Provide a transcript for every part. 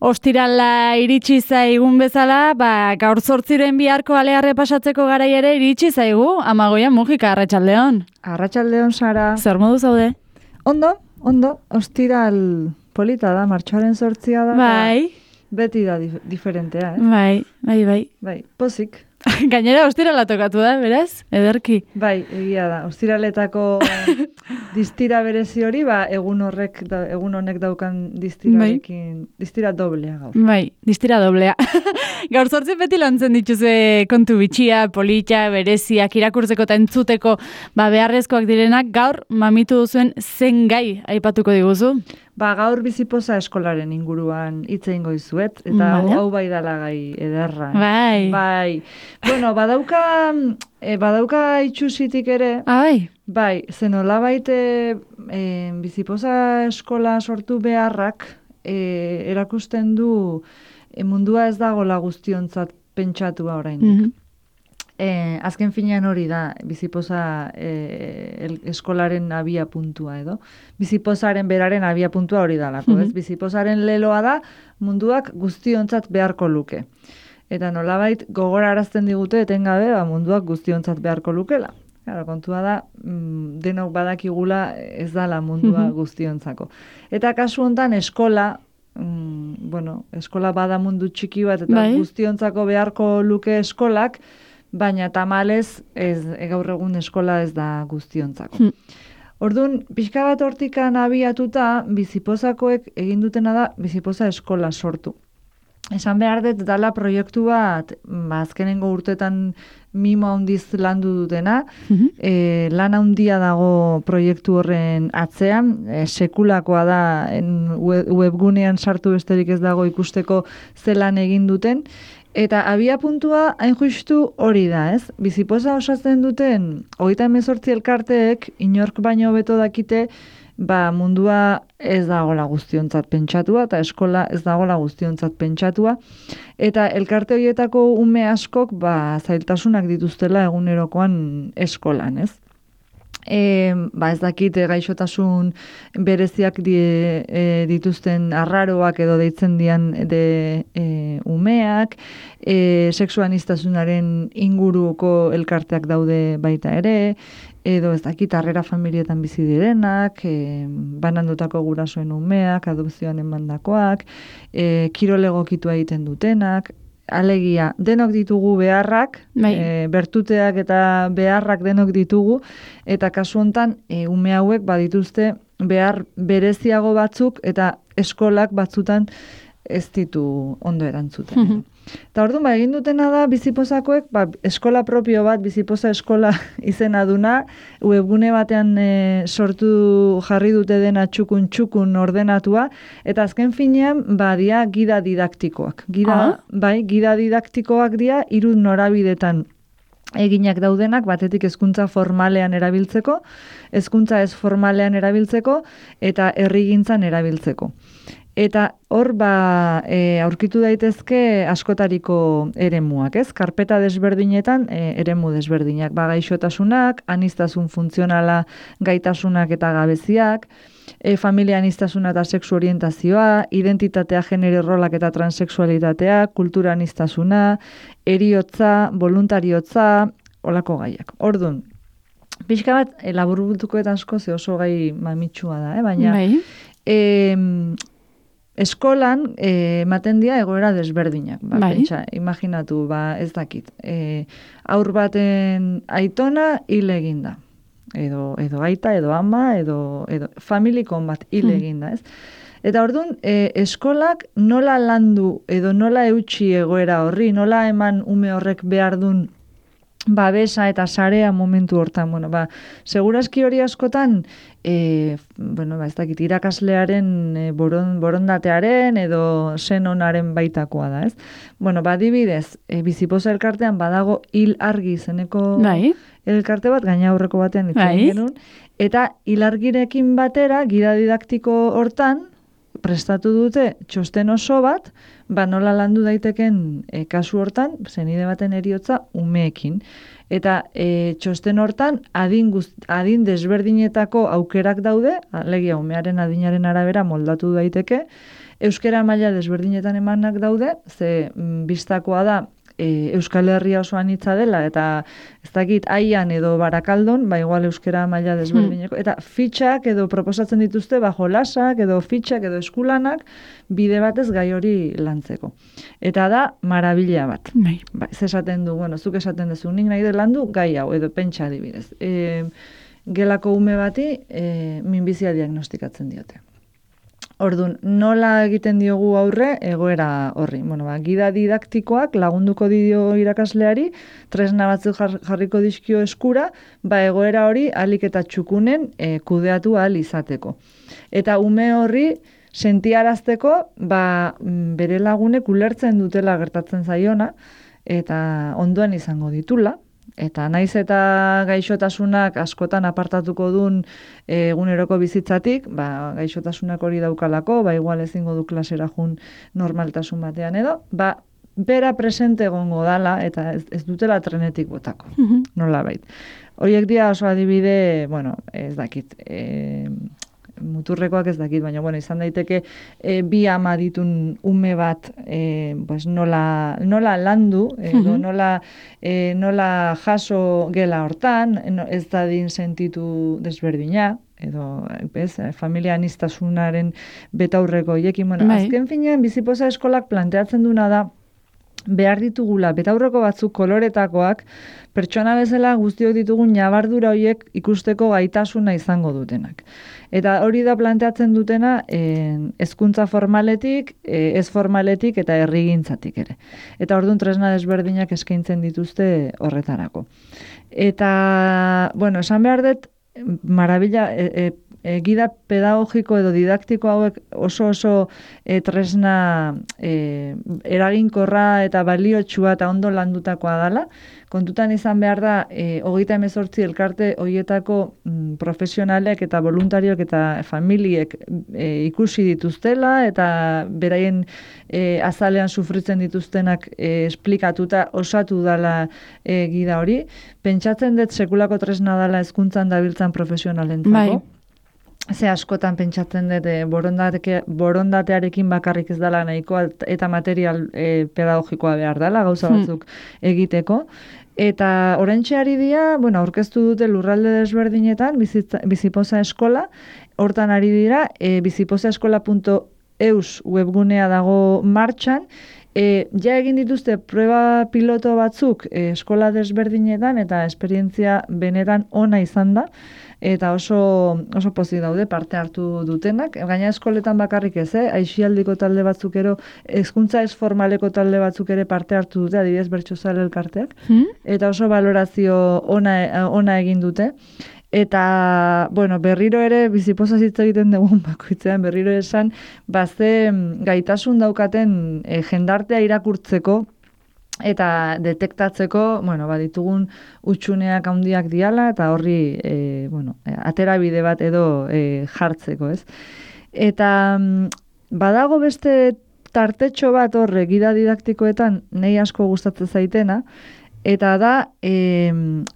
Ostirala iritsi zaigun bezala, gaur 8 biharko alearre pasatzeko garai ere iritsi zaigu, Amagoia Mujika, arratsaldeon. Arratsaldeon, Sara. Zer modu zaude? Ondo, ostiral polita da, martxoaren 8 da. Bai. Beti da diferentea, eh? Bai. Pozik. Gainera ostirala tokatu da, beraz? Ederki. Bai, egia da. Ostiraletako distira berezi hori, egun honek daukan distirarekin, distira doblea gaur. Bai, distira doblea. Gaur 8 beti lantzen dituzue kontu bitxia, polita, bereziak, irakurtzeko eta entzuteko beharrezkoak direnak, gaur mamitu duzuen zen gai aipatuko diguzu? Gaur bizipoza eskolaren inguruan hitz egingo dizuet, eta hau bai dala gai ederra. Bai. Bueno, badauka itxusitik ere. Bai. Bai, zenolabait bizipoza eskola sortu beharrak erakusten du mundua ez dagoela guztiontzat pentsatua oraindik. Azken finean hori da, bizipoza eskolaren abia puntua edo. Bizipozaren beraren abia puntua hori dalako, ez? Bizipozaren leloa da munduak guztiontzat beharko luke. Eta nolabait gogorarazten digute etengabe munduak guztiontzat beharko lukela. Claro, kontua da, denok badakigula ez dala mundua guztiontzako. Eta kasu hontan eskola, eskola bada mundu txiki bat eta guztiontzako beharko luke eskolak, baina tamalez gaur egun eskola ez da guztiontzako. Orduan, pixka bat hortikan abiatuta, bizipozakoek egin dutena da bizipoza eskola sortu. Esan behar dut dala proiektu bat, azkenengo urtetan mimo handiz landu dutena, lan handia dago proiektu horren atzean, sekulakoa da webgunean sartu besterik ez dago ikusteko zelan egin duten, eta abia puntua hain justu hori da, ez? Bizipoza osatzen duten 38 elkarteek inork baino hobeto dakite mundua ez dagoela guztiontzat pentsatua eta eskola ez dagoela guztiontzat pentsatua eta elkarte horietako ume askok zailtasunak dituztela egunerokoan eskolan, ez? Ez dakit gaixotasun bereziak dituzten arraroak edo deitzen dian umeak, sexuanistasunaren inguruko elkarteak daude baita ere, edo ez dakit harrera familietan bizi direnak, banandutako gurasoen umeak, adopzioan emandakoak, kirolegokitua egiten dutenak, alegia, denok ditugu beharrak, bertuteak eta beharrak denok ditugu, eta kasu hontan ume hauek badituzte behar bereziago batzuk eta eskolak batzutan ez ditu ondo erantzuten. Eta orduan, egin dutena da bizipozakoek, eskola propio bat, bizipoza eskola izena duna, webgune batean sortu jarri dute dena txukun ordenatua, eta azken finean, dia gida didaktikoak. Gida didaktikoak dira, 3 norabidetan eginak daudenak, batetik hezkuntza formalean erabiltzeko, hezkuntza ez formalean erabiltzeko, eta herrigintzan erabiltzeko. Eta hor aurkitu daitezke askotariko eremuak, ez? Karpeta desberdinetan eremu desberdinak, gaixotasunak, aniztasun funtzionala gaitasunak eta gabeziak, familia aniztasuna eta sexu orientazioa, identitatea, genero rolak eta transexualitatea, kultura aniztasuna, heriotza, voluntariotza, olako gaiak. Orduan, pixka bat, laburbutuko eta asko ze oso gai mamitsua da, baina eskolan ematen dira egoera desberdinak. Pentsa, imaginatu, ez dakit. Haur baten aitona hil eginda. Edo aita, edo ama, edo familikon bat hil eginda, ez? Eta orduan, eskolak nola landu edo nola eutxi egoera horri, nola eman ume horrek behar dun babesa eta sarea momentu hortan. Segurazki hori askotan, ez dakit, irakaslearen borondatearen edo senonaren baitakoa da, ez? Adibidez, bizipoza elkartean badago hil argi izeneko elkarte bat, gaina aurreko batean itzen genuen, eta hil argirekin batera, gida didaktiko hortan, prestatu dute txosten oso bat, nola landu daiteken kasu hortan, zenide baten heriotza umeekin. Eta txosten hortan adin desberdinetako aukerak daude, alegia umearen adinaren arabera moldatu daiteke, euskera maila desberdinetan emanak daude, ze bistakoa da, Euskal Herria oso anitza dela, eta ez dakit aian edo barakaldon, igual euskera maila desberdineko, eta fitxak edo proposatzen dituzte, jolasak edo fitxak edo eskulanak, bide batez gai hori lantzeko. Eta da, marabila bat. Ez esaten du, zuk esaten duzu, nik nahi de landu gai hau, edo pentsa adibidez. Gelako ume bati, minbizia diagnostikatzen diote. Orduan, nola egiten diogu aurre egoera horri? Gida didaktikoak lagunduko dio irakasleari, tresna batzuk jarriko dizkio eskura, egoera hori ahalik eta txukunen kudeatu ahal izateko. Eta ume horri sentiarazteko, bere lagunek ulertzen dutela gertatzen zaiona, eta ondoan izango ditula. Eta naiz eta gaixotasunak askotan apartatuko duen eguneroko bizitzatik, gaixotasunak hori daukalako, igual ezingo du klasera jun normaltasun batean edo, bera presente egongo dala eta ez dutela trenetik botako, nola bait. Horiek dira oso adibide, ez dakit, muturrekoak ez dakit, baina izan daiteke bi ama ditun ume bat nola landu, edo nola jaso gela hortan, ez dadin sentitu desberdina, edo familia anistasunaren betaurreko hiekin. Azken finean, Bizipoza eskolak planteatzen duna da, behar ditugula, betaurreko batzuk koloretakoak, pertsona bezala guztiok ditugun nabardura horiek ikusteko gaitasuna izango dutenak. Eta hori da planteatzen dutena hezkuntza formaletik, ez formaletik eta herrigintzatik ere. Eta orduan tresna desberdinak eskaintzen dituzte horretarako. Eta, esan behar dut, marabila, gida pedagogiko edo didaktiko hauek oso tresna eraginkorra eta baliotsua eta ondo landutakoa dela. Kontutan izan behar da, 38 elkarte horietako profesionalek eta voluntariok eta familiek ikusi dituztela eta beraien azalean sufritzen dituztenak esplikatuta osatu dela gida hori. Pentsatzen dut sekulako tresna dela hezkuntzan dabiltzan profesionalentzako. Ze askotan pentsatzen dut borondatearekin bakarrik ez dela nahikoa eta material pedagogikoa behar dela, gauza batzuk egiteko. Eta oraintxe ari dira, aurkeztu dute lurralde desberdinetan, Bizipoza eskola, hortan ari dira, bizipozaeskola.eus webgunea dago martxan, ja egin dituzte prueba piloto batzuk eskola desberdinetan eta esperientzia benetan ona izan da, eta oso pozik daude parte hartu dutenak. Gaina eskoletan bakarrik ez, aisialdiko talde batzuk ero, hezkuntza ez formaleko talde batzuk ere parte hartu dute, adibidez Bertsozale elkarteak, eta oso valorazio ona egin dute. Eta, berriro ere, Bizipoza hitz egiten dugun bakoitzean, berriro esan, ze gaitasun daukaten jendartea irakurtzeko, eta detektatzeko, ditugun utxuneak handiak diala, eta horri, aterabide bat edo jartzeko, ez? Eta badago beste tartetxo bat horre gida didaktikoetan nei asko gustatzen zaitena, eta da,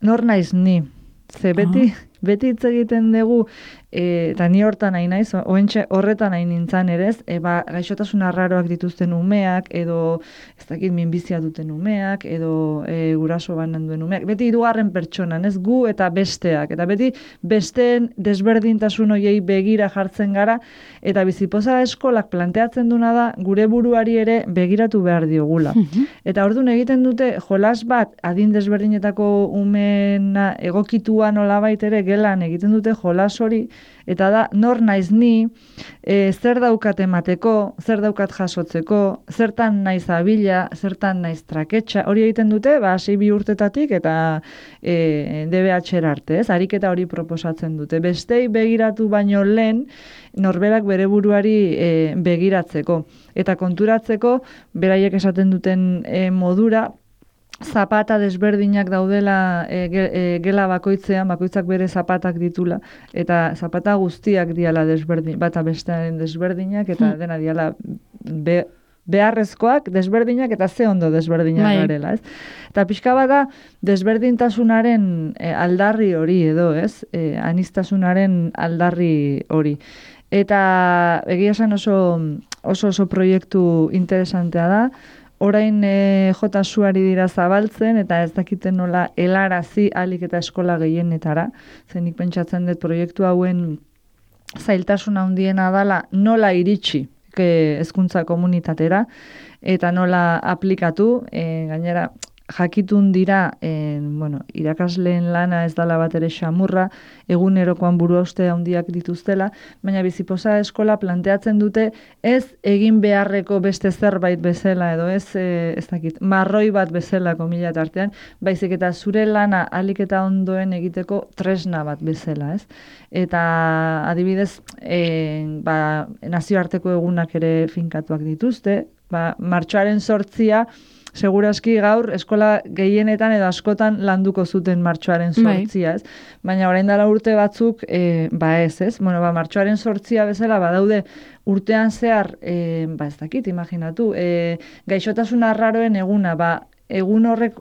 nor naiz ni? Ze beti hitz egiten dugu, eta ni hortan nahi naiz, horretan nahi nintzen ere ez, gaixotasun arraroak dituzten umeak, edo ez dakit minbizia duten umeak, edo guraso banan duen umeak, beti hirugarren pertsonan, ez gu eta besteak, eta beti besteen desberdintasun horiei begira jartzen gara, eta Bizipoza eskolak planteatzen duna da, gure buruari ere begiratu behar diogula. Eta orduan egiten dute, jolas bat, adin desberdinetako umena egokitua nolabait ere gelan egiten dute jolas hori, eta da, nor naiz ni, zer daukat emateko, zer daukat jasotzeko, zertan naiz abila, zertan naiz traketxa, hori egiten dute, 6 urtetatik eta DBH arte, ez? Ariketa hori proposatzen dute. Bestei begiratu baino lehen, norberak bere buruari begiratzeko. Eta konturatzeko, beraiek esaten duten modura, zapata desberdinak daudela gela bakoitzean, bakoitzak bere zapatak ditula, eta zapata guztiak diala desberdin, bata bestearen desberdinak, eta dena diala beharrezkoak desberdinak eta ze ondo desberdinak garela, ez? Eta pixka bada desberdintasunaren aldarri hori edo, ez? Anistasunaren aldarri hori. Eta egia esan oso oso proiektu interesantea da. Orain jotasuari dira zabaltzen, eta ez dakiten nola helarazi ahalik eta eskola gehienetara. Zenik pentsatzen dut proiektu hauen zailtasuna handiena dala nola iritsi hezkuntza komunitatera, eta nola aplikatu, gainera jakitun dira, irakasleen lana ez dala bat ere xamurra, egunerokoan buruhauste handiak dituztela, baina Bizipoza eskola planteatzen dute ez egin beharreko beste zerbait bezala, edo ez dakit, marroi bat bezala komila tartean, baizik eta zure lana ahalik eta ondoen egiteko tresna bat bezala, ez? Eta adibidez, nazioarteko egunak ere finkatuak dituzte, martxoaren 8 segurazki gaur eskola gehienetan edo askotan landuko zuten martxoaren 8, ez? Baina orain dela urte batzuk, ez? Martxoaren 8 bezala badaude urtean zehar, ez dakit, imaginatu, gaixotasun arraroen eguna, egun horrek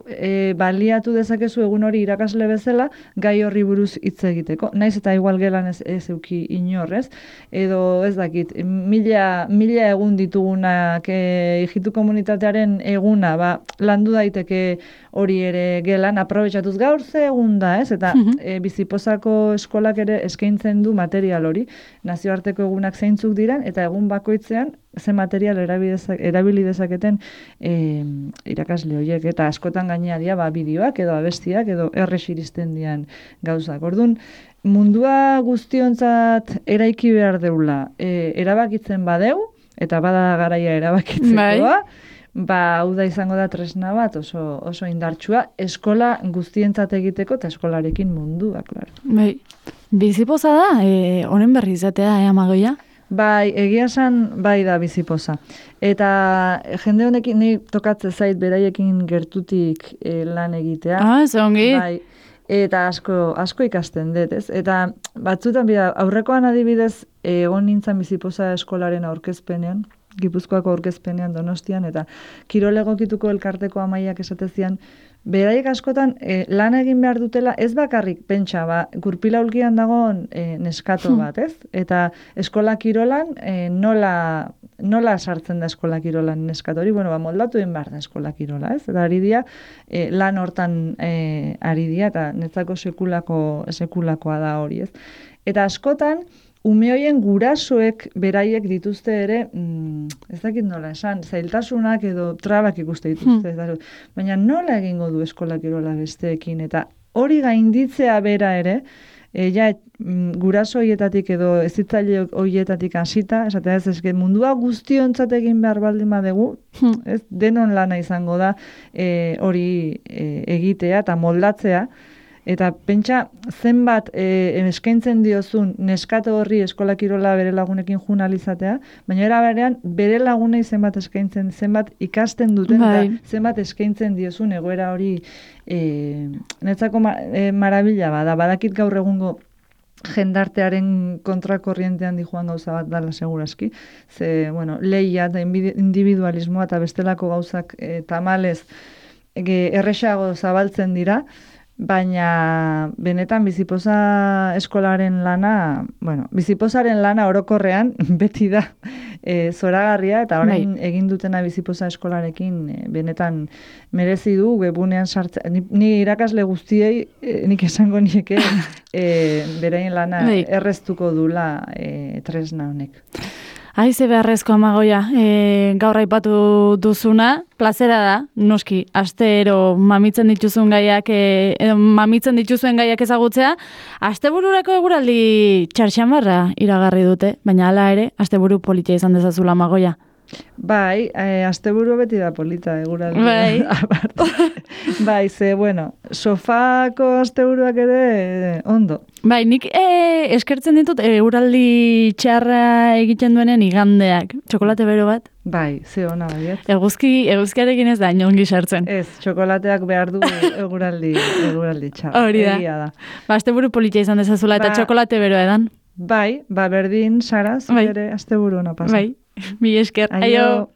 baliatu dezakezu egun hori irakasle bezala gai horri buruz hitz egiteko. Naiz eta igual gelan ez euki inorrez, edo ez dakit, mila egun ditugunak hijitu komunitatearen eguna, landu daiteke hori ere gelan, aprobetxatuz gaur ze egun da, ez? Eta Bizipozako eskolak ere eskaintzen du material hori, nazioarteko egunak zeintzuk diren, eta egun bakoitzean ze material erabili dezaketen irakasle horiek, eta askotan gainea dira bideoak edo abestiak edo errex iristen dian gauzak. Orduan, mundua guztiontzat eraiki behar deula, erabakitzen badeu, eta bada garaia erabakitzekoa, hau da izango da tresna bat oso indartsua, eskola guztientzat egiteko eta eskolarekin mundua, klaro. Bizipoza da, honen berri izatea, Amagoia? Egia esan, da Bizipoza. Eta jende honekin ni tokatze zait beraiekin gertutik lan egitea. Ez ongi. Eta asko ikasten dut, ez? Eta batzutan, aurrekoan adibidez, egon nintzen Bizipoza eskolaren aurkezpenean, Gipuzkoako aurkezpenean Donostian, eta kirol egokituko elkarteko amaiak esatezian, beraiek askotan lan egin behar dutela, ez bakarrik pentsa, gurpila ulkian dagoen neskato bat, ez? Eta eskola kirolan, nola sartzen da eskola kirolan neskato hori? Moldatu egin behar da eskola kirola, ez? Eta ari dia, lan hortan ari dia, eta netzako sekulakoa da hori, ez? Eta askotan, ume hoien gurasoek beraiek dituzte ere, ez dakit nola esan, zailtasunak edo trabak ikuste dituzte. Baina nola egingo du eskola kirola besteekin, eta hori gainditzea bera ere, guraso hoietatik edo ezitzaile hoietatik hasita, esatea ez mundua guztiontzat egin behar baldin badegu, denon lana izango da hori egitea eta moldatzea. Eta pentsa zenbat eskaintzen diozun neskato horri eskola kirola bere lagunekin junalizatea, baina era berean bere lagunei zenbat eskaintzen, zenbat ikasten duten, eta zenbat eskaintzen diozun egoera hori netzako marabila bada. Badakit gaur egungo jendartearen kontrakorrientean dijoan gauza bat dala segurazki. Lehia eta individualismoa eta bestelako gauzak tamalez erresago zabaltzen dira, baina benetan Bizipoza eskolaren lana, Bizipozaren lana orokorrean beti da zoragarria, eta orain egin dutena Bizipoza eskolarekin benetan merezi du webunean sartzen. Ni irakasle guztiei nik esango nieke beraien lana erreztuko dula tresna honek. Aize beharrezko Amagoia, gaur aipatu duzuna, plazera da, noski, astero mamitzen dituzuen gaiak ezagutzea, astebururako eguraldi txarxamarra iragarri dute, baina hala ere, asteburu politia izan dezazula Amagoia. Asteburu beti da polita, eguraldi. Sofako asteburuak ere ondo. Nik eskertzen ditut eguraldi txarra egiten duenen igandeak. Txokolate bero bat? Ze ona baiet. Eguzkiarekin ez da inongi sartzen. Ez, txokolateak behar du eguraldi txarra. Hori da. Asteburu politia izan dezazula eta txokolate bero edan. Berdin, Sara, zure asteburu ona pasa. Mi esker. Aio.